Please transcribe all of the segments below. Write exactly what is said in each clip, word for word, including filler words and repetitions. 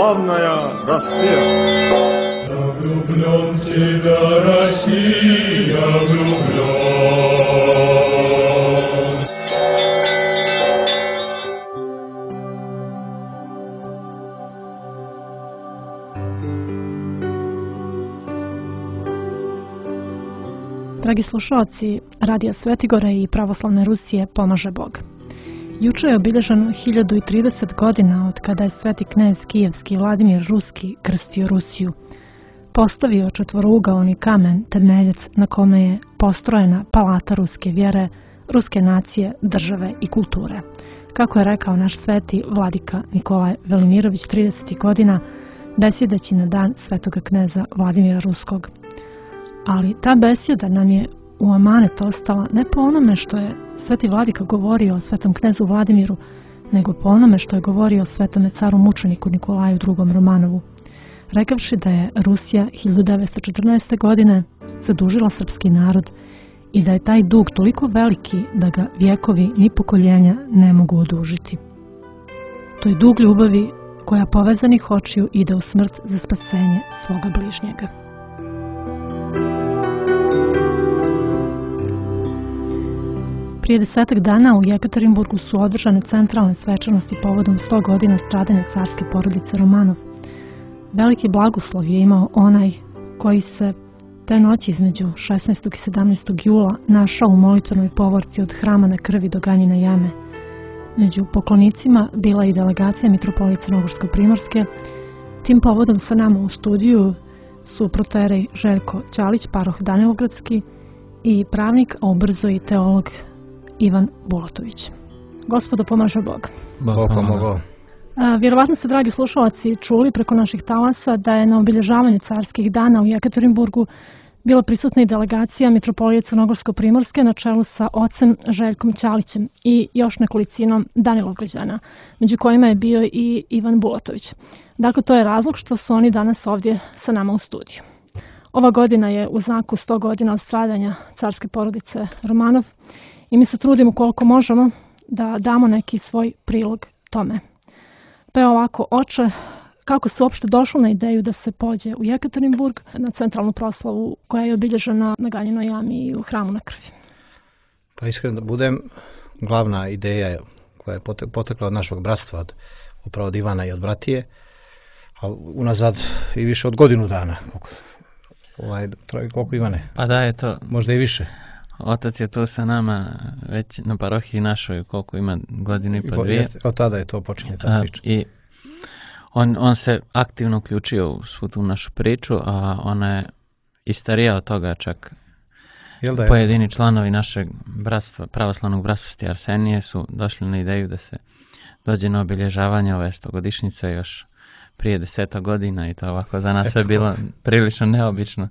славная Россия. Я влюблен в тебя, Россия, влюблен. Dragi slušalci, Radija Svetigora i Pravoslavne Rusije pomaže Bog. Juče je obilježeno hiljadu i trideset godina od kada je sveti knez kijevski Vladimir Ruski krstio Rusiju. Postavio četvorougaoni kamen temeljac na kome je postrojena palata ruske vjere, ruske nacije, države i kulture. Kako je rekao naš sveti vladika Nikolaj Velimirović trideset godina, besjedeći na dan svetoga kneza Vladimira Ruskog. Ali ta besjeda nam je u amanet ostala ne po onome što je sveti vladika govorio o svetom knezu Vladimiru, nego po onome što je govorio o svetome caru mučeniku Nikolaju drugom Romanovu, rekavši da je Rusija hiljadu devetsto četrnaeste. godine zadužila srpski narod i da je taj dug toliko veliki da ga vjekovi ni pokoljenja ne mogu odužiti. To je dug ljubavi koja povezanih očiju ide u smrt za spasenje svoga bližnjega. Prije desetak dana u Jekaterinburgu su održane centralne svečanosti povodom sto godina stradanja carske porodice Romanov. Veliki blagoslov je imao onaj koji se te noći između šesnaestog i sedamnaestog jula našao u molitvenoj povorci od Hrama na krvi do Ganjine jame. Među poklonicima bila i delegacija mitropolije Crnogorsko-primorske. Tim povodom sa nama u studiju su proterej Željko Ćalić, paroh Danilogradski, i pravnik, a ubrzo i teolog Ivan Bulatović. Gospodo, pomaže Bog. Bog pomogao. Vjerovatno ste, dragi slušalci, čuli preko naših talasa da je na obilježavanju carskih dana u Jekaterinburgu bila prisutna i delegacija mitropolije Crnogorsko-primorske na čelu sa ocem Željkom Ćalićem i još nekolicinom Danilovgrađana, među kojima je bio i Ivan Bulatović. Dakle, to je razlog što su oni danas ovdje sa nama u studiju. Ova godina je u znaku sto godina od stradanja carske porodice Romanov i mi se trudimo koliko možemo da damo neki svoj prilog tome. Pa je ovako, oče, kako se uopšte došlo na ideju da se pođe u Jekaterinburg na centralnu proslavu koja je obilježena na Ganjinoj jami i u Hramu na krvi? Pa iskreno da budem, glavna ideja koja je potekla od našeg bratstva, od, upravo od Ivana i od bratije, a unazad i više od godinu dana. Koliko, ovaj, koliko Ivane? Pa da je to. Možda i više. Otac je tu sa nama već na parohiji našoj, koliko ima, godinu i po dvije. Od tada je to počinje ta priča. I on, on se aktivno uključio u svu tu našu priču, a ona je i starija od toga čak. Jel da je? Pojedini članovi našeg bratstva, pravoslavnog bratstva Sti Arsenije su došli na ideju da se dođe na obilježavanje ove stogodišnjice još prije deseta godina i to ovako za nas je bilo prilično neobično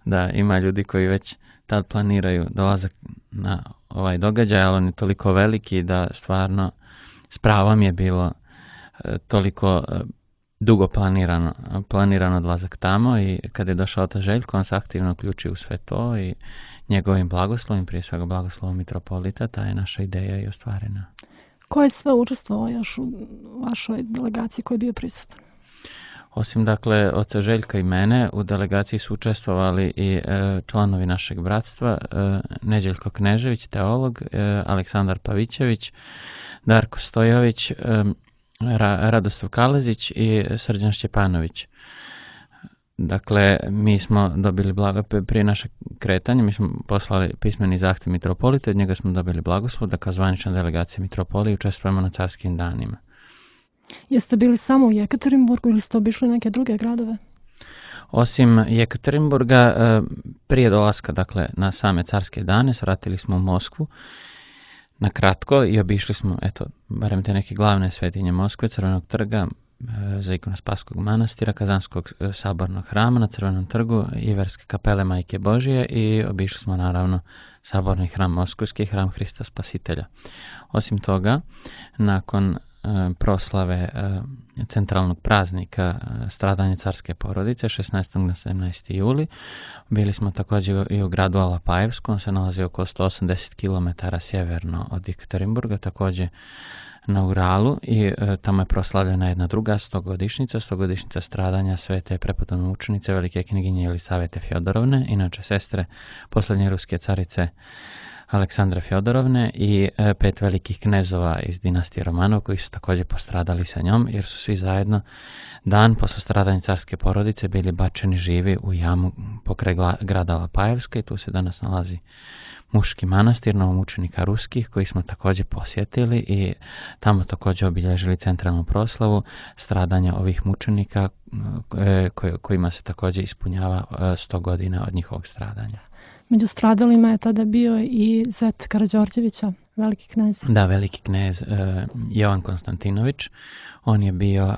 da ima ljudi koji već tad planiraju dolazak na ovaj događaj, ali on je toliko veliki da stvarno s pravom je bilo e, toliko e, dugo planirano, planirano odlazak tamo i kad je došao ta Željko, on se aktivno uključio u sve to i njegovim blagoslovim, prije svega blagoslovom mitropolita, ta je naša ideja i ostvarena. Ko je sve učestvovao još u vašoj delegaciji koji je bio prisutan? Osim dakle oca Željka i mene, u delegaciji su učestvovali i e, članovi našeg bratstva, e, Neđeljko Knežević, teolog, e, Aleksandar Pavićević, Darko Stojović, e, Ra, Radoslav Kalezić i Srđan Šćepanović. Dakle, mi smo dobili blago, prije našeg kretanja, mi smo poslali pismeni zahtjev mitropolita, od njega smo dobili blagoslov da kao zvanična delegacija mitropolije učestvujemo na carskim danima. Jeste bili samo u Jekaterinburgu ili ste obišli neke druge gradove? Osim Jekaterinburga, prije dolaska dakle, na same carske dane, svratili smo u Moskvu na kratko i obišli smo, eto, barem te neke glavne svetinje Moskve, Crvenog trga, za ikonospaskog manastira, Kazanskog sabornog hrama na Crvenom trgu, Iverske kapele Majke Božije i obišli smo naravno saborni hram Moskovski, hram Hrista Spasitelja. Osim toga, nakon proslave centralnog praznika stradanja carske porodice šesnaestog na sedamnaesti juli. Bili smo također i u gradu Alapajevsku, on se nalazi oko sto osamdeset kilometara sjeverno od Jekaterinburga, također na Uralu i e, tamo je proslavljena jedna druga stogodišnjica, stogodišnjica stradanja svete prepodobne mučenice velike knjiginje Jelisavete Fjodorovne, inače sestre posljednje ruske carice Aleksandre Fjodorovne i e, pet velikih knezova iz dinastije Romanov koji su također postradali sa njom jer su svi zajedno dan posle stradanja carske porodice bili bačeni živi u jamu pokraj grada Alapajevska i tu se danas nalazi muški manastir novomučenika ruskih koji smo također posjetili i tamo također obilježili centralnu proslavu stradanja ovih mučenika kojima se također ispunjava sto godina od njihovog stradanja. Među stradalima je tada bio i zet Karađorđevića, veliki knez. Da, veliki knez Jovan Konstantinović. On je bio,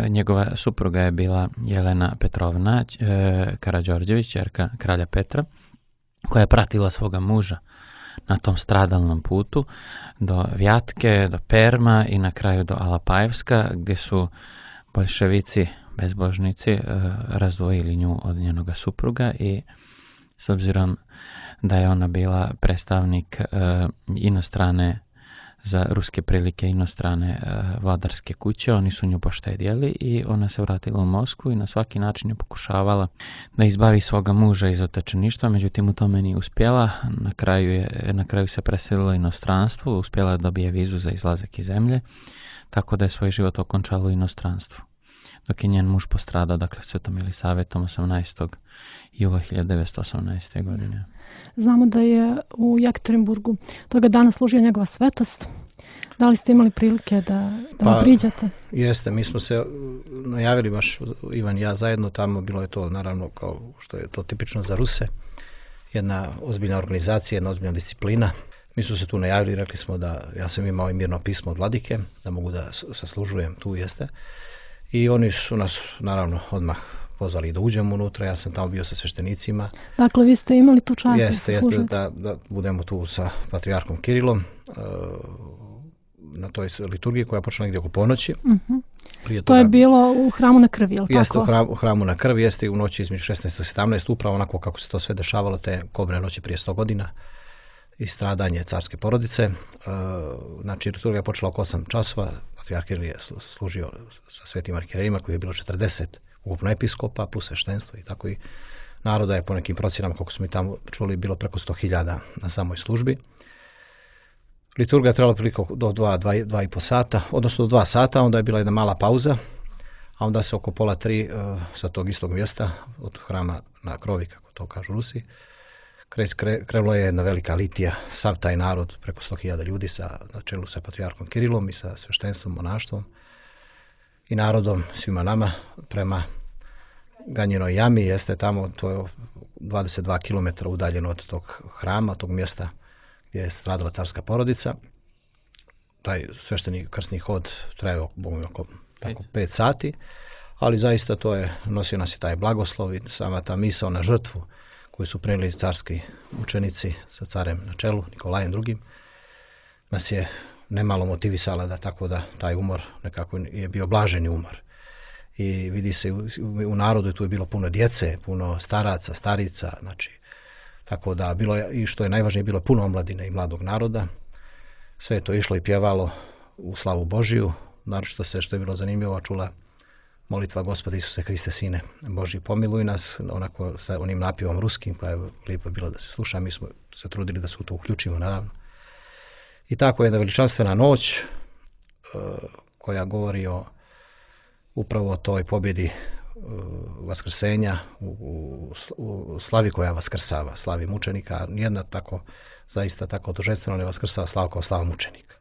njegova supruga je bila Jelena Petrovna Karađorđević, ćerka kralja Petra, koja je pratila svoga muža na tom stradalnom putu do Vjatke, do Perma i na kraju do Alapajevska, gdje su boljševici, bezbožnici, razdvojili nju od njenoga supruga i s obzirom da je ona bila predstavnik inostrane za ruske prilike inostrane e, vladarske kuće, oni su nju poštedjeli i ona se vratila u Moskvu i na svaki način je pokušavala da izbavi svoga muža iz otečeništva, međutim u tome nije uspjela, na kraju, je, na kraju se preselila u inostranstvo, uspjela da dobije vizu za izlazak iz zemlje, tako da je svoj život okončala u inostranstvu. Dok je njen muž postradao, dakle, Svetom Jelisavetom osamnaestog jula hiljadu devetsto osamnaeste. godine. Znamo da je u Jekaterinburgu toga dana služio njegova svetost. Da li ste imali prilike da, da pa, priđete? Jeste, mi smo se najavili baš Ivan i ja zajedno tamo, bilo je to naravno kao što je to tipično za Ruse, jedna ozbiljna organizacija, jedna ozbiljna disciplina. Mi smo se tu najavili, rekli smo da ja sam imao i mirno pismo od vladike, da mogu da saslužujem tu, jeste. I oni su nas naravno odmah pozvali da uđemo unutra, ja sam tamo bio sa sveštenicima. Dakle, vi ste imali tu čast? Jeste, jeste da, da budemo tu sa patrijarhom Kirilom na toj liturgiji koja počela negdje oko ponoći. Uh-huh. To toga, je bilo u hramu na krvi, je li jeste, tako? Jeste, u hramu, u hramu na krvi, jeste u noći između šesnaest i sedamnaest, upravo onako kako se to sve dešavalo te kobne noći prije sto godina i stradanje carske porodice. Znači, liturgija je počela oko osam časova, patrijarh Kiril je služio sa svetim arhijerejima koji je bilo četrdeset ukupno episkopa plus sveštenstvo i tako i naroda je po nekim procjenama, kako smo i tamo čuli, bilo preko sto hiljada na samoj službi. Liturgija je trebala priliku do dva, dva, dva i po sata, odnosno do dva sata, onda je bila jedna mala pauza, a onda se oko pola tri uh, sa tog istog mjesta, od hrama na krovi, kako to kažu Rusi, kre, kre, krenulo je jedna velika litija, sav taj narod, preko sto hiljada ljudi sa, na čelu sa patrijarhom Kirilom i sa sveštenstvom, monaštvom i narodom, svima nama, prema Ganjinoj jami, jeste tamo, to je dvadeset dva kilometra udaljeno od tog hrama, tog mjesta gdje je stradala carska porodica. Taj svešteni krsni hod trajao oko pet sati, ali zaista to je, nosio nas je taj blagoslov i sama ta misao na žrtvu koju su prenijeli carski učenici sa carem na čelu, Nikolajem drugim, nas je nemalo motivisala da tako da taj umor nekako je bio blaženi umor. I vidi se u, u narodu tu je bilo puno djece, puno staraca, starica, znači tako da bilo je, i što je najvažnije, bilo puno omladine i mladog naroda. Sve je to išlo i pjevalo u slavu Božiju, naročito se što je bilo zanimljivo čula molitva Gospoda Isuse Hriste Sine Božji, pomiluj nas, onako sa onim napjevom ruskim, pa je lijepo bilo da se sluša, mi smo se trudili da se u to uključimo naravno. I tako je jedna veličanstvena noć uh, koja govori o upravo o toj pobjedi uh, vaskrsenja u, u, u slavi koja vaskrsava, slavi mučenika. Nijedna tako, zaista tako dužestveno ne vaskrsava slavu kao slava mučenika.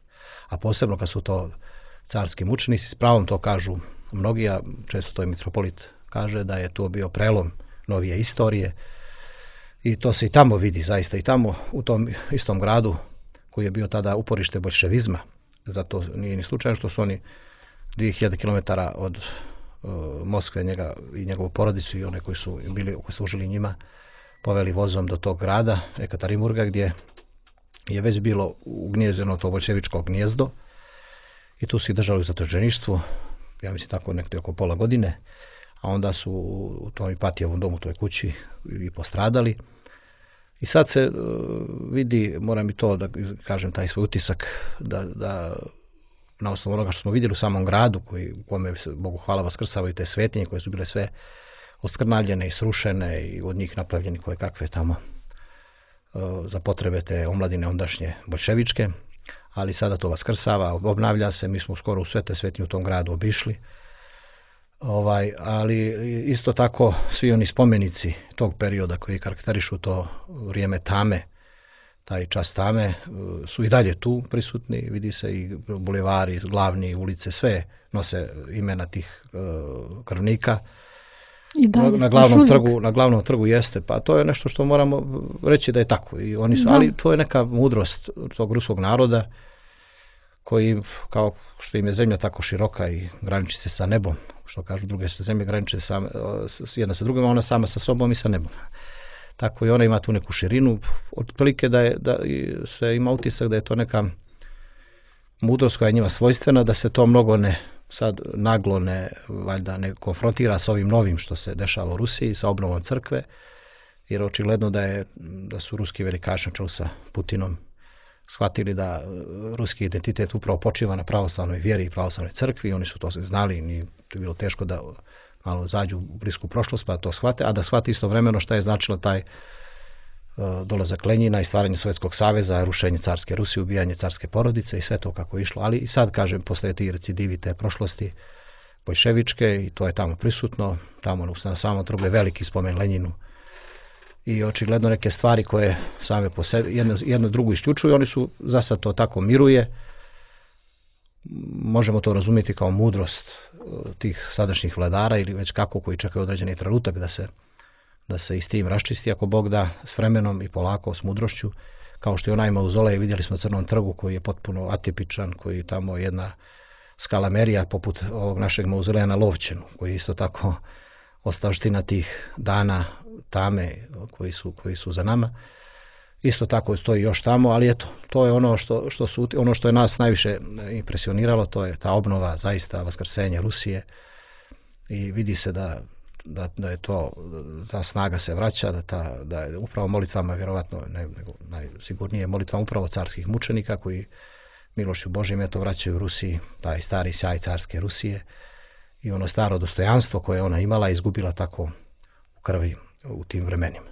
A posebno kad su to carski mučenici, s pravom to kažu mnogi, a često to i mitropolit kaže da je to bio prelom novije istorije. I to se i tamo vidi, zaista i tamo u tom istom gradu koji je bio tada uporište boljševizma. Zato nije ni slučajno što su oni dvije hiljade kilometara od uh, Moskve njega i njegovu porodicu i one koji su bili, koji služili njima, poveli vozom do tog grada Jekaterinburga gdje je već bilo ugnjezdeno to boljševičko gnjezdo i tu su ih držali u zatočeništvu, ja mislim tako nekde oko pola godine, a onda su u tom Ipatijevom domu, u toj kući, i postradali. I sad se uh, vidi, moram i to da kažem taj svoj utisak, da, da na osnovu onoga što smo vidjeli u samom gradu, koji, u kome se, Bogu hvala, vaskrsavaju te svetinje koje su bile sve oskrnavljene i srušene i od njih napravljeni koje kakve tamo za potrebe te omladine ondašnje bolševičke, ali sada to vaskrsava, obnavlja se, mi smo skoro u sve te svetinje u tom gradu obišli. Ovaj, ali isto tako svi oni spomenici tog perioda koji karakterišu to vrijeme tame, taj čas tame, su i dalje tu prisutni, vidi se i bulevari, glavni ulice, sve nose imena tih uh, krvnika. I dalje, na glavnom trgu, na glavnom trgu jeste, pa to je nešto što moramo reći da je tako. I oni su, da. Ali to je neka mudrost tog ruskog naroda koji, kao što im je zemlja tako široka i graniči se sa nebom, što kažu druge se zemlje graniče sa, jedna sa drugima, ona sama sa sobom i sa nebom. Tako i ona ima tu neku širinu, otprilike da, je, da se ima utisak da je to neka mudrost koja je njima svojstvena, da se to mnogo ne sad naglo ne, valjda ne konfrontira sa ovim novim što se dešava u Rusiji, sa obnovom crkve, jer očigledno da, je, da su ruski velikaši na čelu sa Putinom shvatili da ruski identitet upravo počiva na pravoslavnoj vjeri i pravoslavnoj crkvi, oni su to znali i nije to bilo teško da malo zađu u blisku prošlost pa to shvate, a da shvate istovremeno šta je značilo taj uh, dolazak Lenjina i stvaranje Sovjetskog saveza, rušenje carske Rusije, ubijanje carske porodice i sve to kako je išlo, ali i sad kažem posle ti recidivi te prošlosti bolševičke i to je tamo prisutno, tamo na samom trgu je veliki spomen Lenjinu i očigledno neke stvari koje same po sebi jedno, jedno drugu isključuju, oni su za sad to tako miruje, možemo to razumjeti kao mudrost tih sadašnjih vladara ili već kako koji čekaju određeni trenutak da se, da se i s tim raščisti ako Bog da s vremenom i polako s mudrošću, kao što je onaj mauzolej vidjeli smo na Crnom trgu koji je potpuno atipičan, koji tamo jedna skalamerija poput ovog našeg mauzoleja na Lovćenu, koji je isto tako ostavština tih dana tame koji su, koji su za nama. Isto tako stoji još tamo, ali eto, to je ono što, što su, ono što je nas najviše impresioniralo, to je ta obnova, zaista vaskrsenje Rusije i vidi se da, da, da je to, ta snaga se vraća, da, ta, da je upravo molitvama, vjerovatno ne, nego najsigurnije molitvama upravo carskih mučenika koji milošću Božjim eto vraćaju Rusiji, taj stari sjaj carske Rusije i ono staro dostojanstvo koje ona imala izgubila tako u krvi u tim vremenima.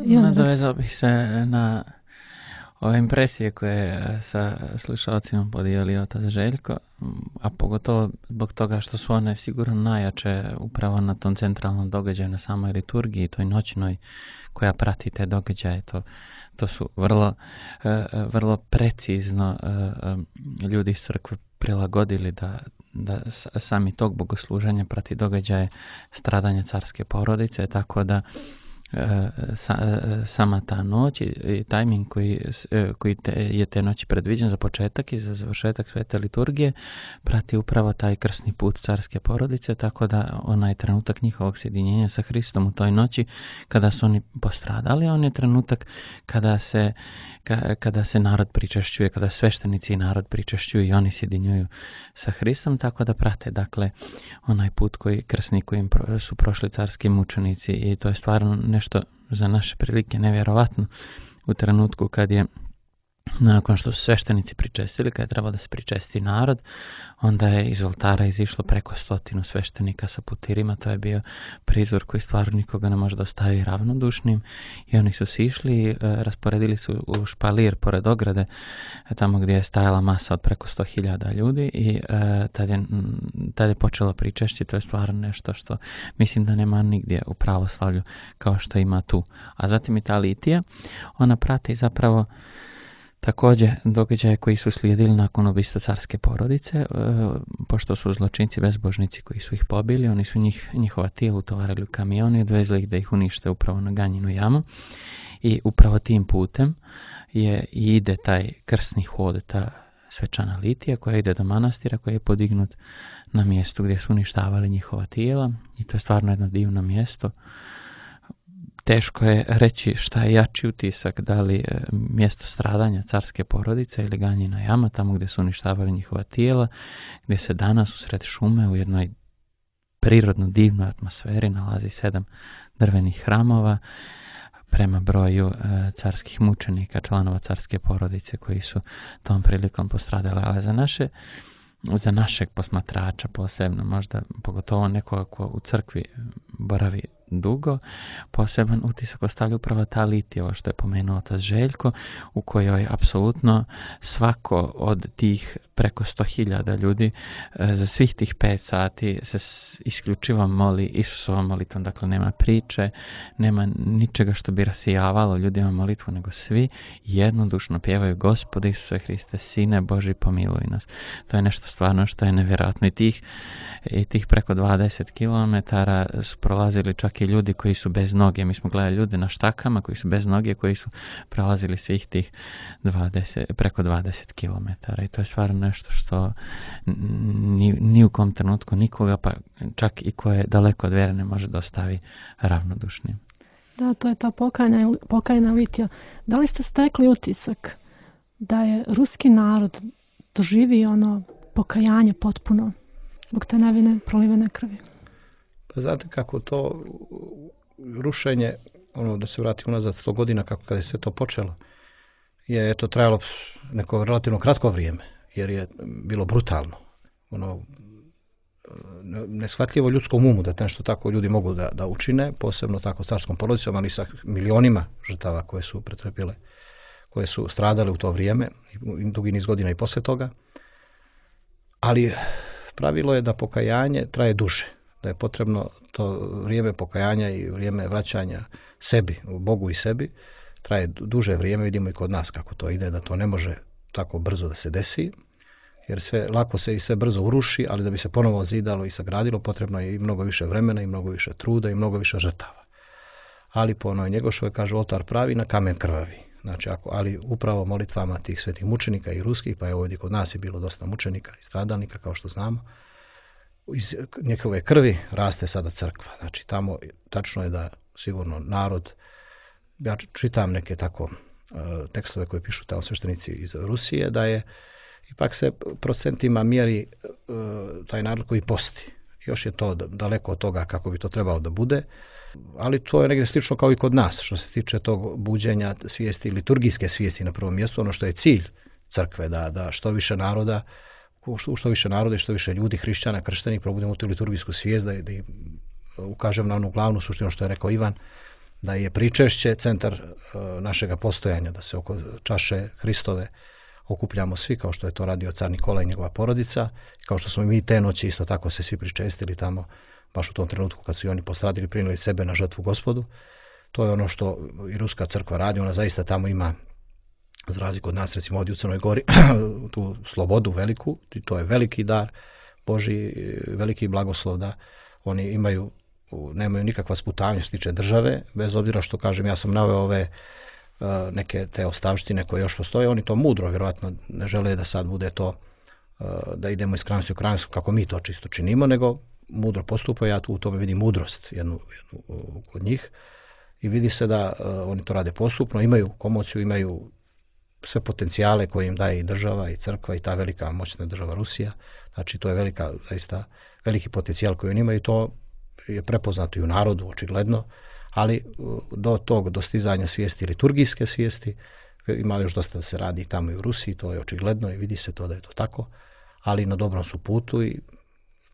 Nadovezao bih se na ove impresije koje je sa slušalcima podijelio otac Željko, a pogotovo zbog toga što su one sigurno najjače upravo na tom centralnom događaju, na samoj liturgiji, toj noćnoj koja prati te događaje. To, to su vrlo, vrlo precizno ljudi iz crkve prilagodili da, da sami tog bogosluženja prati događaje stradanja carske porodice, tako da Sa, sama ta noć i tajming koji, koji te, je te noći predviđen za početak i za završetak svete liturgije prati upravo taj krsni put carske porodice, tako da onaj trenutak njihovog sjedinjenja sa Hristom u toj noći kada su oni postradali, on je trenutak kada se kada se narod pričešćuje, kada sveštenici i narod pričešćuju i oni sjedinjuju sa Hristom, tako da prate dakle onaj put koji krsni kojim su prošli carski mučenici i to je stvarno nešto za naše prilike nevjerovatno u trenutku kad je nakon što su sveštenici pričestili, kad je trebalo da se pričesti narod, onda je iz oltara izišlo preko stotinu sveštenika sa putirima. To je bio prizor koji stvarno nikoga ne može da ostavi ravnodušnim i oni su sišli i e, rasporedili su u špalir pored ograde, tamo gdje je stajala masa od preko sto hiljada ljudi i e, tad, je, tad je počelo pričešći. To je stvarno nešto što mislim da nema nigdje u pravoslavlju kao što ima tu. A zatim i ta litija, ona prati zapravo također događaje koji su slijedili nakon ubistva carske porodice, e, pošto su zločinci bezbožnici koji su ih pobili, oni su njih, njihova tijela utovarili u kamion i odvezli ih da ih unište upravo na Ganjinu jamu i upravo tim putem je i ide taj krsni hod, ta svečana litija koja ide do manastira koji je podignut na mjestu gdje su uništavali njihova tijela i to je stvarno jedno divno mjesto. Teško je reći šta je jači utisak, da li mjesto stradanja carske porodice ili Ganjina jama, tamo gdje su uništavali njihova tijela, gdje se danas usred šume u jednoj prirodno divnoj atmosferi nalazi sedam drvenih hramova, prema broju e, carskih mučenika, članova carske porodice koji su tom prilikom postradali. Ali za naše za našeg posmatrača posebno, možda pogotovo nekoga ko u crkvi boravi dugo, poseban utisak ostavlja upravo ta litija, ovo što je pomenuo otac Željko, u kojoj apsolutno svako od tih preko sto hiljada ljudi za svih tih pet sati se isključivo moli Isusovom molitvom, dakle nema priče, nema ničega što bi rasijavalo ljudima molitvu, nego svi jednodušno pjevaju Gospode Isuse Hriste, Sine Boži, pomiluj nas. To je nešto stvarno što je nevjerojatno i tih, i tih preko dvadeset kilometara su prolazili čak i ljudi koji su bez noge. Mi smo gledali ljude na štakama koji su bez noge, koji su prolazili svih tih dvadeset, preko dvadeset kilometara i to je stvarno nešto što ni, ni u kom trenutku nikoga, pa čak i ko je daleko od vjere, ne može da ostavi ravnodušnim. Da, to je ta pokajna, pokajna litija. Da li ste stekli utisak da je ruski narod doživio ono pokajanje potpuno zbog te nevine prolivene krvi? Pa znate kako to rušenje, ono da se vrati unazad sto godina kako kada je sve to počelo, je to trajalo neko relativno kratko vrijeme, jer je bilo brutalno. Ono, neshvatljivo ljudskom umu da nešto tako ljudi mogu da, da učine, posebno tako carskom porodicom, ali sa milionima žrtava koje su pretrpile, koje su stradale u to vrijeme, i dugi niz godina i posle toga. Ali pravilo je da pokajanje traje duže, da je potrebno to vrijeme pokajanja i vrijeme vraćanja sebi, Bogu i sebi, traje duže vrijeme, vidimo i kod nas kako to ide, da to ne može tako brzo da se desi, jer sve lako se i sve brzo uruši, ali da bi se ponovo zidalo i sagradilo, potrebno je i mnogo više vremena, i mnogo više truda, i mnogo više žrtava. Ali po onoj Njegošovoj kaže oltar pravi na kamen krvavi. Znači, ako, ali upravo molitvama tih svetih mučenika i ruskih, pa je ovdje kod nas je bilo dosta mučenika i stradalnika, kao što znamo, iz njihove krvi raste sada crkva. Znači, tamo tačno je da sigurno narod, ja čitam neke tako uh, tekstove koje pišu tamo sveštenici iz Rusije, da je ipak se procentima mjeri uh, taj narod koji posti. Još je to daleko od toga kako bi to trebalo da bude, ali to je negdje slično kao i kod nas, što se tiče tog buđenja svijesti, liturgijske svijesti na prvom mjestu, ono što je cilj crkve, da, da što više naroda, u što više naroda i što više ljudi, hrišćana, krštenih, probudimo tu liturgijsku svijest, da, da ukažem na onu glavnu suštinu što je rekao Ivan, da je pričešće centar uh, našega postojanja, da se oko čaše Hristove okupljamo svi, kao što je to radio car Nikola i njegova porodica, kao što smo mi te noći isto tako se svi pričestili tamo, baš u tom trenutku kad su i oni postradili, prinijeli sebe na žrtvu Gospodu. To je ono što i Ruska crkva radi, ona zaista tamo ima, za razliku od nas, recimo ovdje u Crnoj Gori, tu slobodu veliku, i to je veliki dar Božji, veliki blagoslov da oni imaju, nemaju nikakva sputavanja što se tiče države, bez obzira što, kažem, ja sam naveo ove uh, neke te ostavštine koje još postoje, oni to mudro, vjerojatno ne žele da sad bude to, uh, da idemo iz krajnosti u krajnost kako mi to čisto činimo, nego mudro postupaju, ja tu u tome vidim mudrost jednu, jednu kod njih i vidi se da uh, oni to rade postupno, imaju komociju, imaju sve potencijale koje im daje i država i crkva i ta velika moćna država Rusija, znači to je velika, zaista veliki potencijal koji oni imaju i to je prepoznato i u narodu očigledno, ali uh, do tog dostizanja svijesti, liturgijske svijesti, ima još dosta da se radi tamo i u Rusiji, to je očigledno i vidi se to da je to tako, ali na dobrom su putu i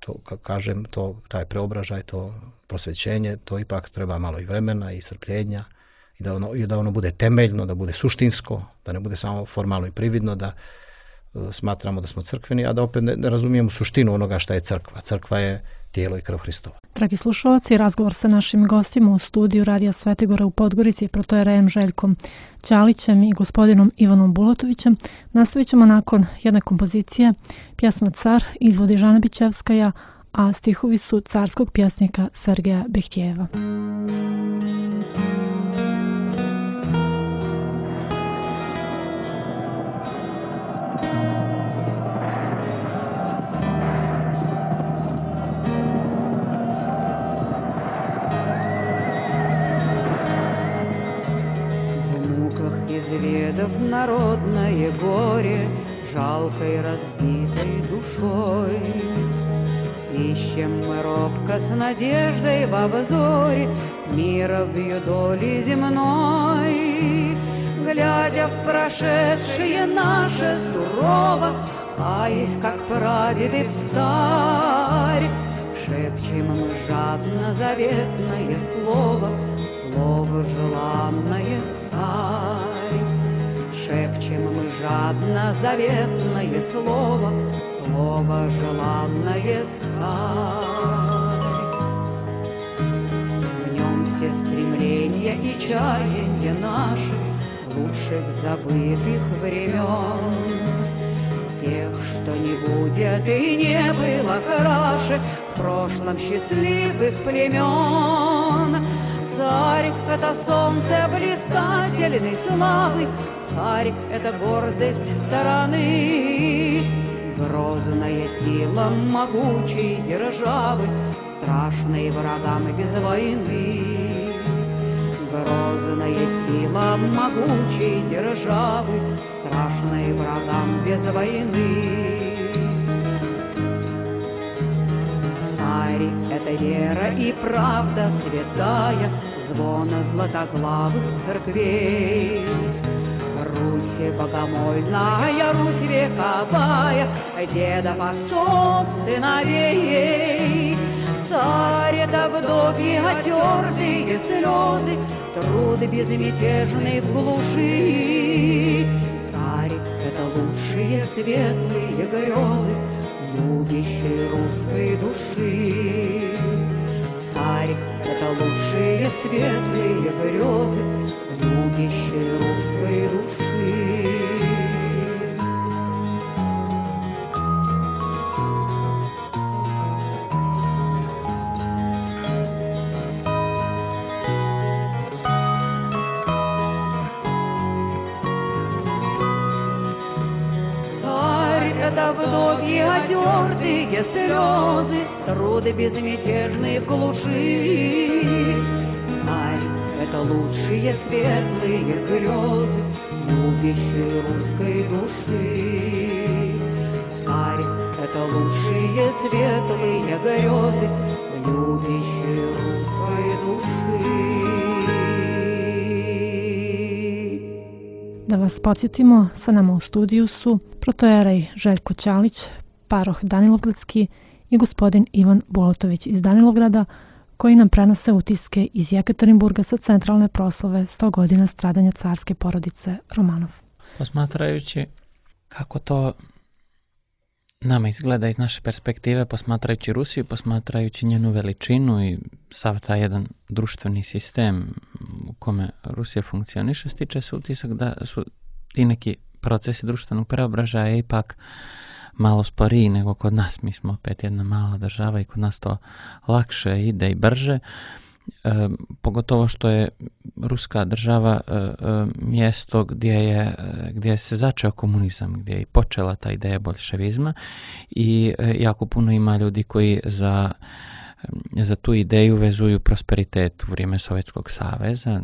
to, kažem, to, taj preobražaj, to prosvećenje, to ipak treba malo i vremena i strpljenja i da ono, i da ono bude temeljno, da bude suštinsko, da ne bude samo formalno i prividno, da uh, smatramo da smo crkveni, a da opet ne, ne razumijemo suštinu onoga šta je crkva. Crkva je tijelo i krv Hristova. Dragi slušalci, razgovor sa našim gostima u studiju Radija Svetigora u Podgorici, protojerejem Željkom Ćalićem i gospodinom Ivanom Bulatovićem, nastavit ćemo nakon jedne kompozicije, pjesma Car izvodi Žana Bićevskaja, a stihovi su carskog pjesnika Sergeja Behtijeva. Народное горе, жалкой разбитой душой. Ищем мы робко с надеждой во взоре мира в ее доли земной. Глядя в прошедшее наше сурово, каясь, как прадеды встарь, шепчем мы жадно заветное слово, слово желанное царь. Шепчем мы жадно заветное слово, слово желанное царь. В нем все стремления и чаяния наши лучших забытых времен, тех, что не будет и не было краше в прошлом счастливых племен. Царь — это солнце блистательной славы, царь — это гордость стороны, грозная сила могучей державы, страшной врагам без войны. Грозная сила могучей державы, страшной врагам без войны. Царь — это вера и правда святая, звона златоглавых церквей. Русь богомольная, Русь вековая, дедов отцов сыновей. Царь — это вдовьи отертые слезы, труд безмятежный в глуши. Царь — это лучшие светлые грезы любящей русской души. Царь — это лучшие светлые грезы любящей русской души. Это вдовьи отертые слезы, труды безмятежные в глуши. Царь — это лучшие светлые грезы любящей русской души. Царь — это лучшие светлые грезы любящей русской души. Da vas podsjetimo, sa nama u studiju su protojerej Željko Ćalić, paroh Danilovgradski i gospodin Ivan Bolotović iz Danilovgrada, koji nam prenose utiske iz Jekaterinburga sa centralne proslave sto godina stradanja carske porodice Romanov. Posmatrajući kako to nama izgleda iz naše perspektive, posmatrajući Rusiju, posmatrajući njenu veličinu i sav taj jedan društveni sistem u kome Rusija funkcioniše, stiče se utisak da su ti neki procesi društvenog preobražaja ipak malo sporiji nego kod nas. Mi smo opet jedna mala država i kod nas to lakše ide i brže. E, pogotovo što je ruska država e, e, mjesto gdje je gdje se začeo komunizam, gdje je i počela ta ideja boljševizma i e, jako puno ima ljudi koji za za tu ideju vezuju prosperitet u vrijeme Sovjetskog saveza,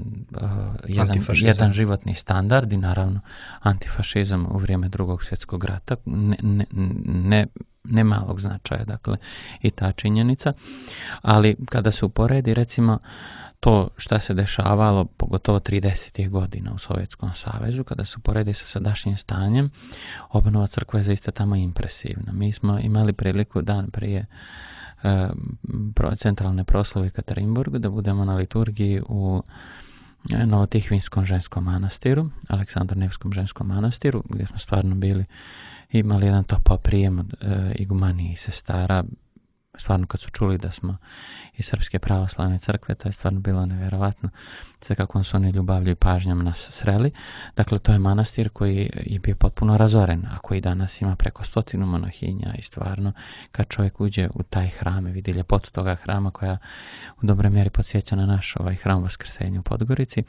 jedan, jedan životni standard i naravno antifašizam u vrijeme Drugog svjetskog rata, ne, ne, ne, ne malog značaja, dakle, i ta činjenica. Ali kada se uporedi recimo to šta se dešavalo, pogotovo tridesetih godina u Sovjetskom savezu, kada se uporedi sa sadašnjim stanjem, obnova crkve je zaista tamo impresivna. Mi smo imali priliku dan prije centralne proslave u Jekaterinburgu da budemo na liturgiji u Novotihvinskom ženskom manastiru, Aleksandar-Nevskom ženskom manastiru, gdje smo stvarno bili, imali jedan topao prijem od e, igumanije i sestara. Stvarno kad su čuli da smo iz Srpske pravoslavne crkve, to je stvarno bilo nevjerovatno sve kako su oni ljubavlju i pažnjom nas sreli. Dakle, to je manastir koji je bio potpuno razoren, a koji danas ima preko stotinu monahinja i stvarno kad čovjek uđe u taj hram i vidi ljepotu toga hrama koja u dobroj mjeri podsjeća na naš ovaj hram Vaskrsenja u Podgorici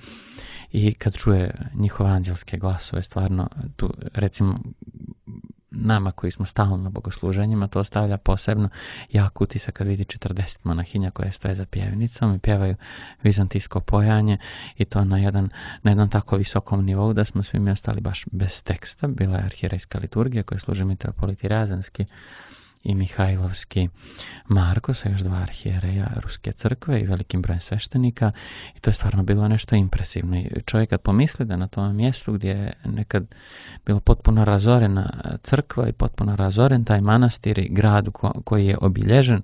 i kad čuje njihove anđelske glasove, stvarno tu recimo nama koji smo stalno na bogosluženjima, to ostavlja posebno jak utisak kad vidi četrdeset monahinja koje stoje za pjevnicom i pjevaju vizantijsko pojanje i to na jedan, na jednom tako visokom nivou da smo svi mi ostali baš bez teksta. Bila je arhirejska liturgija koja služi mitropolit Razanski i Mihajlovski Marko sa još dva arhijereja Ruske crkve i velikim brojem sveštenika, i to je stvarno bilo nešto impresivno. I čovjek kad pomisli da na tom mjestu gdje je nekad bilo potpuno razorena crkva i potpuno razoren taj manastir i grad ko, koji je obilježen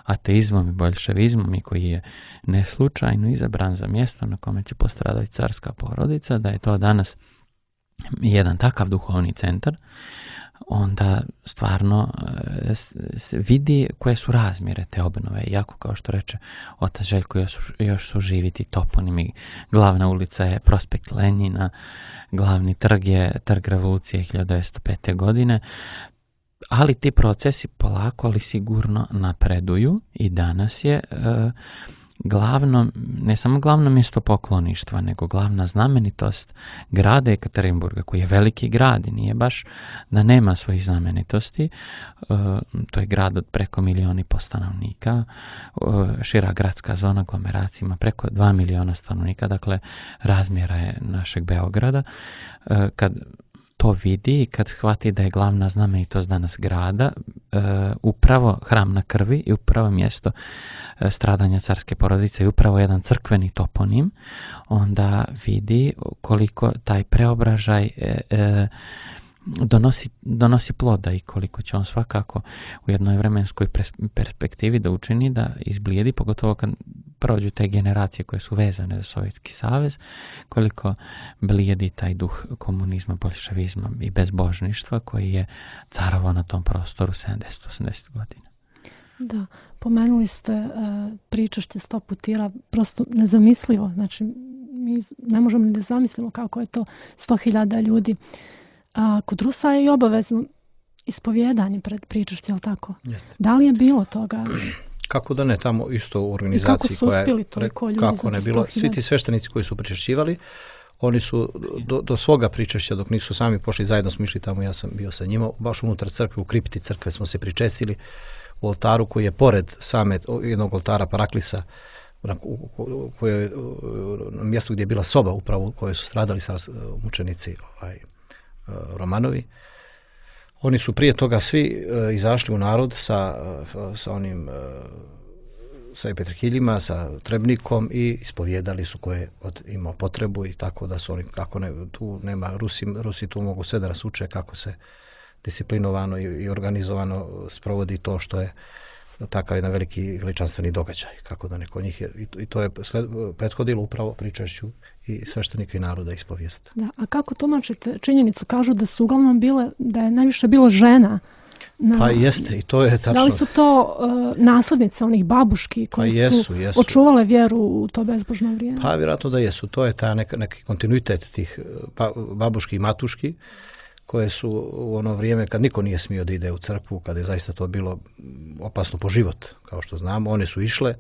ateizmom i boljševizmom i koji je neslučajno izabran za mjesto na kome će postradati carska porodica, da je to danas jedan takav duhovni centar, onda stvarno se vidi koje su razmjere te obnove. Iako, kao što reče otac Željko, još, još su živi ti toponimi. Glavna ulica je Prospekt Lenjina, glavni trg je Trg revolucije hiljadu devetsto pete. godine, ali ti procesi polako ali sigurno napreduju i danas je e, glavno, ne samo glavno mjesto pokloništva, nego glavna znamenitost grada Ekaterinburga, koji je veliki grad i nije baš da nema svojih znamenitosti. E, to je grad od preko milijoni po stanovnika, e, šira gradska zona aglomeracija ima preko dva miliona stanovnika, dakle razmjera je našeg Beograda. E, kad to vidi i kad shvati da je glavna znamenitost danas grada e, upravo hram na krvi i upravo mjesto e, stradanja carske porodice i upravo jedan crkveni toponim, onda vidi koliko taj preobražaj e, e, donosi, donosi ploda i koliko će on svakako u jednoj vremenskoj perspektivi da učini da izblijedi, pogotovo kad prođu te generacije koje su vezane za Sovjetski savez, koliko blijedi taj duh komunizma, bolševizma i bezbožništva koji je carovao na tom prostoru sedamdeset osamdeset godina. Da, pomenuli ste uh, pričašće sto putira, prosto nezamislivo, znači mi ne možemo ni da zamislimo kako je to sto hiljada ljudi. A kod Rusa je i obavezno ispovjedanje pred pričašće, je li tako? Jeste. Da li je bilo toga? Kako da ne, tamo isto u organizaciji koja je, kako ne bilo, svi ti sveštenici koji su pričešćivali, oni su do, do svoga pričešća, dok nisu sami pošli, zajedno smo išli tamo, ja sam bio sa njima, baš unutar crkve, u kripti crkve smo se pričestili, u oltaru koji je pored same jednog oltara Paraklisa, koje je na mjestu gdje je bila soba upravo u kojoj su stradali sa mučenici ovaj, Romanovi. Oni su prije toga svi uh, izašli u narod sa, uh, sa onim uh, sa petrkiljima, sa trebnikom i ispovjedali su koje od, imao potrebu i tako da su oni, kako ne, tu nema, Rusi, Rusi tu mogu sve da nas uče kako se disciplinovano i, i organizovano sprovodi to što je takav jedan veliki veličanstveni događaj, kako da neko njih je, i to je sled, prethodilo upravo pričašću i sveštenika i naroda ispovijest. Da, a kako tumačite činjenicu, kažu da su uglavnom bile, da je najviše bilo žena? Na, pa jeste, i to je tačno. Da li su to uh, naslednice onih babuški koji pa jesu, su jesu. očuvale vjeru u to bezbožno vrijeme? Pa vjerojatno da jesu, to je ta neka, neki kontinuitet tih pa, babuški i matuški, koje su u ono vrijeme kad niko nije smio da ide u crkvu, kad je zaista to bilo opasno po život, kao što znamo, one su išle,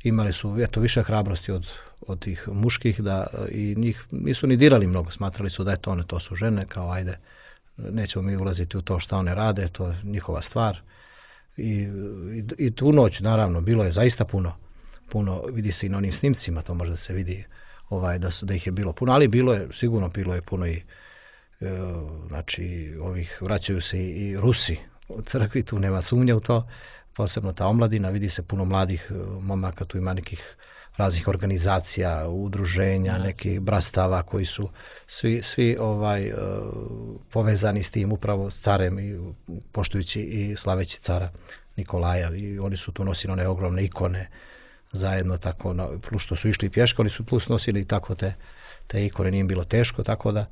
imali su eto više hrabrosti od, od tih muških, da i njih nisu ni dirali mnogo, smatrali su da je to one, to su žene, kao ajde, nećemo mi ulaziti u to šta one rade, to je njihova stvar. I, i, i tu noć, naravno, bilo je zaista puno, puno, vidi se i na onim snimcima, to možda se vidi ovaj, da, su, da ih je bilo puno, ali bilo je, sigurno bilo je puno i znači ovih vraćaju se i, i Rusi u crkvi, tu nema sumnje u to, posebno ta omladina, vidi se puno mladih momaka, tu ima nekih raznih organizacija, udruženja, nekih brastava koji su svi, svi ovaj uh, povezani s tim upravo s carem i poštujući i slaveći cara Nikolaja, i oni su tu nosili one ogromne ikone zajedno, tako na, plus što su išli pješko, oni su plus nosili tako te, te ikone, nije im bilo teško, tako da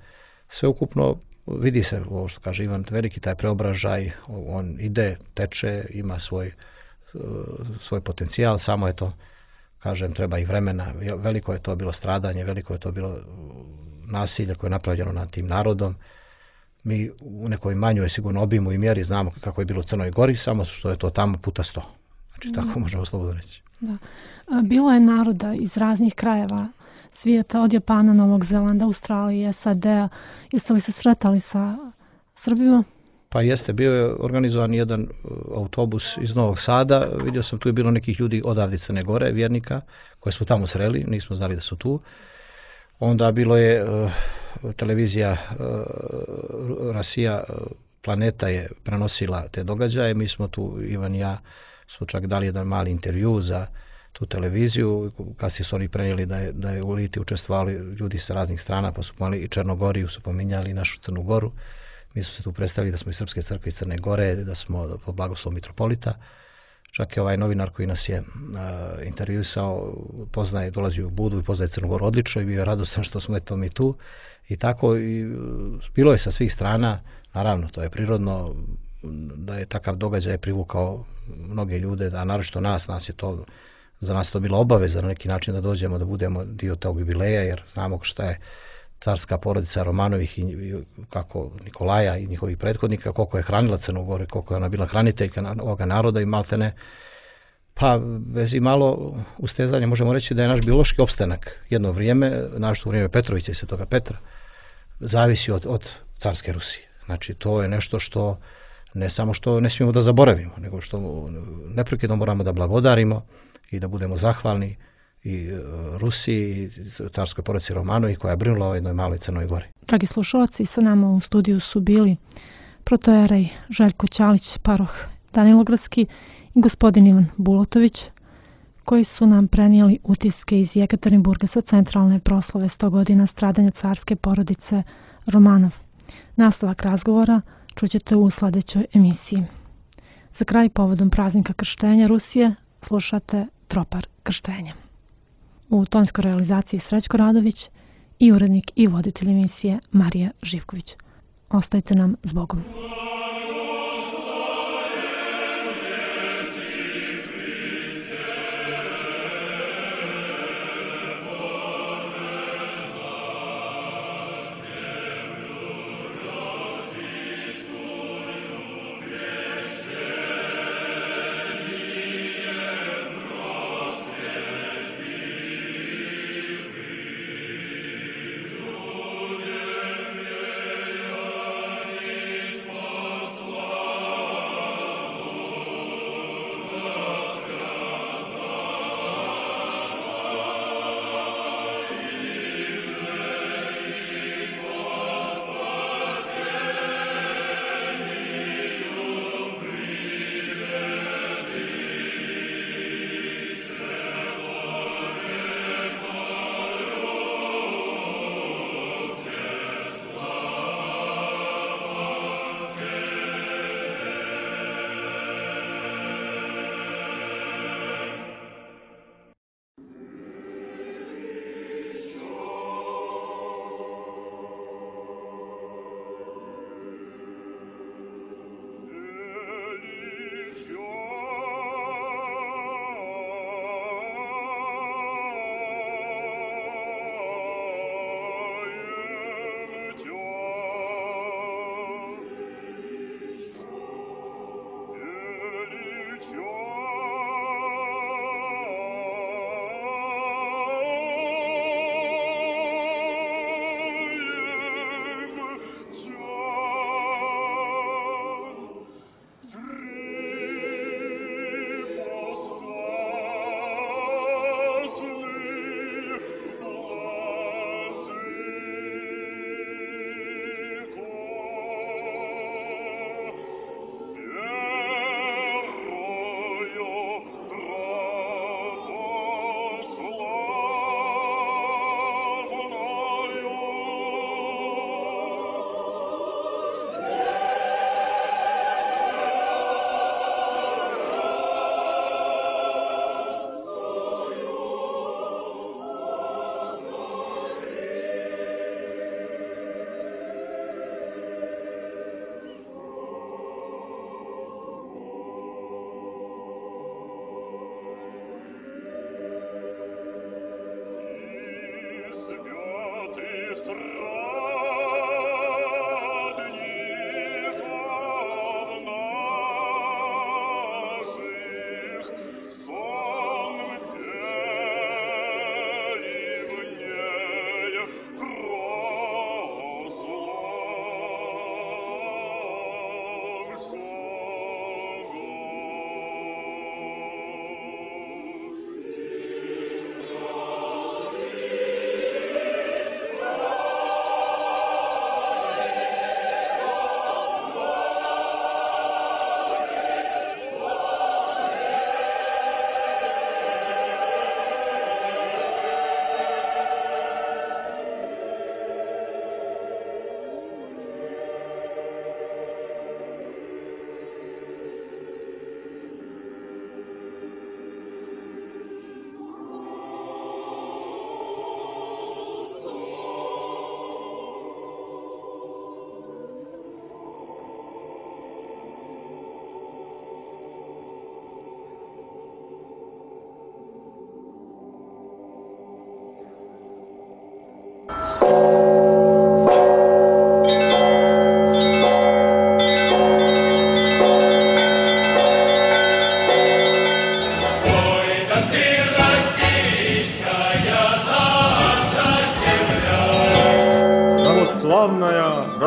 sve ukupno vidi se, ovo što kaže Ivan, veliki taj preobražaj, on ide, teče, ima svoj, svoj potencijal, samo je to, kažem, treba i vremena, veliko je to bilo stradanje, veliko je to bilo nasilje koje je napravljeno nad tim narodom. Mi u nekoj manjoj sigurno obimu i mjeri znamo kako je bilo u Crnoj Gori, samo što je to tamo puta sto. Znači, da. Tako možemo slobodno reći. Da. Bilo je naroda iz raznih krajeva svijeta, od Japana, Novog Zelanda, Australije, S A D-a. Jeste li se sretali sa Srbima? Pa jeste, bio je organizovan jedan autobus iz Novog Sada, vidio sam tu je bilo nekih ljudi odavde Crne Gore, vjernika, koje su tamo sreli, nismo znali da su tu. Onda bilo je uh, televizija uh, Rasija uh, planeta je prenosila te događaje. Mi smo tu, Ivan i ja, smo čak dali jedan mali intervju za tu televiziju. Kasnije su oni prenijeli da je, da je u Liti učestvovali ljudi sa raznih strana, pa su pomali i Černogoriju, su pominjali i našu Crnu Goru. Mi smo se tu predstavili da smo iz Srpske crkve iz Crne Gore, da smo po blagoslovu mitropolita. Čak je ovaj novinar koji nas je uh, intervjuisao, poznaje, dolazi u Budu i poznaje Crnu Goru odlično i bio je radostan što smo eto mi tu. I tako, i, bilo je sa svih strana, naravno, to je prirodno, da je takav događaj privukao mnoge ljude, a naročito nas, nas je to, za nas to bila obaveza na neki način da dođemo, da budemo dio tog jubileja, jer znamo šta je carska porodica Romanovih i, i kako Nikolaja i njihovih prethodnika, koliko je hranila Crnu Goru, koliko je ona bila hraniteljka ovoga naroda i maltene, pa bez i malo ustezanja možemo reći da je naš biološki opstanak jedno vrijeme, našto vrijeme Petrovića i Svetoga Petra, zavisi od, od carske Rusije. Znači to je nešto što ne samo što ne smijemo da zaboravimo, nego što neprekidno moramo da blagodarimo i da budemo zahvalni i Rusiji i carskoj porodici Romanovih koja je brinula o jednoj maloj Crnoj Gori. Dragi slušalci, sa nama u studiju su bili protojerej Željko Ćalić, paroh Danilogradski i gospodin Ivan Bulotović, koji su nam prenijeli utiske iz Jekaterinburga sa centralne proslave sto godina stradanja carske porodice Romanov. Nastavak razgovora čućete u sledećoj emisiji. Za kraj, povodom praznika krštenja Rusije, slušate Tropar krštenja. U tonskoj realizaciji Srećko Radović i urednik i voditelj emisije Marija Živković. Ostajte nam s Bogom. Thank you.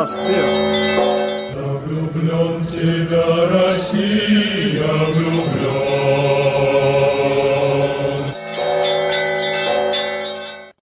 распев.